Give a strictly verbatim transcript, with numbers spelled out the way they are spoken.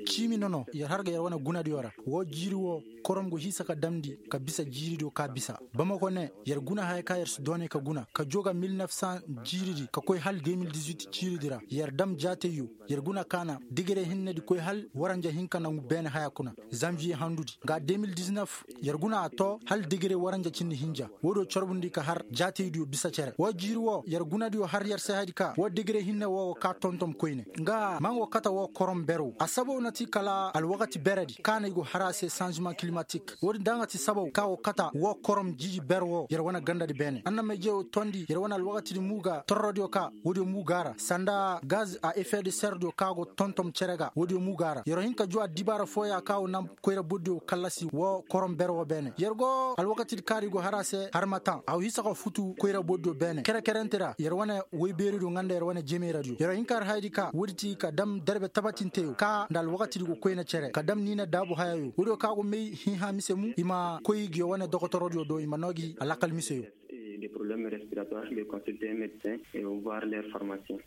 Ciimi nono yer har ga yer wane gunadiyo ra. Woo jiiri woo, korom go hiisa ka damndi ka bisa jiiridiyo ka bisa. Bamako ne, yer guna haya ka yer si doonay ka guna ka joo ga mil nef san jiiridi ka koy hal de mil dizuit jiiridi ra yer dam jaatayyo. Yer guna ka na degere hinnedi koy hal waranja hinka nangu beene haya kuna. Zanviye handudi nga de mil diznef, yer guna a too hal degere waranja cindi hinja. Woodiyo corbundi ka har jaataydiyo bisa cere woo jiiri woo yer gunadiyo har yer se hayadi ka woo degere hinne woo go kaa tontom koyne. Nga ma nga go kata woo korom ber woo a sabaw na ti kala alwakati beredi ka na i go har a se sanzima kilimatik. Woodin da nga ti sabaw ka go kata woo korom jiiji ber woo yer wane gandadi beene annamayjey woo tondi yer wane alwakatidi muuga torrodiyo ka woodiyo muuga ra sanda gaz a efe de serdiyo ka go tontom cere ga woodiyo muuga ra yer wo hin ka juu addibaara fooya ka go naŋ koyra bordiyo kallasi woo korom ber woo beene yer go alwakatidi kaari go har a se har ma taŋ a go hisa ka futu koyra bordiyo beene kere-kerenti ra yer wane woy beeridiyo nga nda yer wane jemeeradiyo yer wo hin ka har hayadi ka woodi ti ka dam derbe tabatinteyo ka nda alwakatidi go koyna cere ka dam niina daabu hayayo woodiyo ka go may hinha mise mu i ma koy ngiyo wane dokotorodiyo do i ma noo gi alakkal miseyo. Des problèmes respiratoires de consulter un médecin et voir leur pharmacien.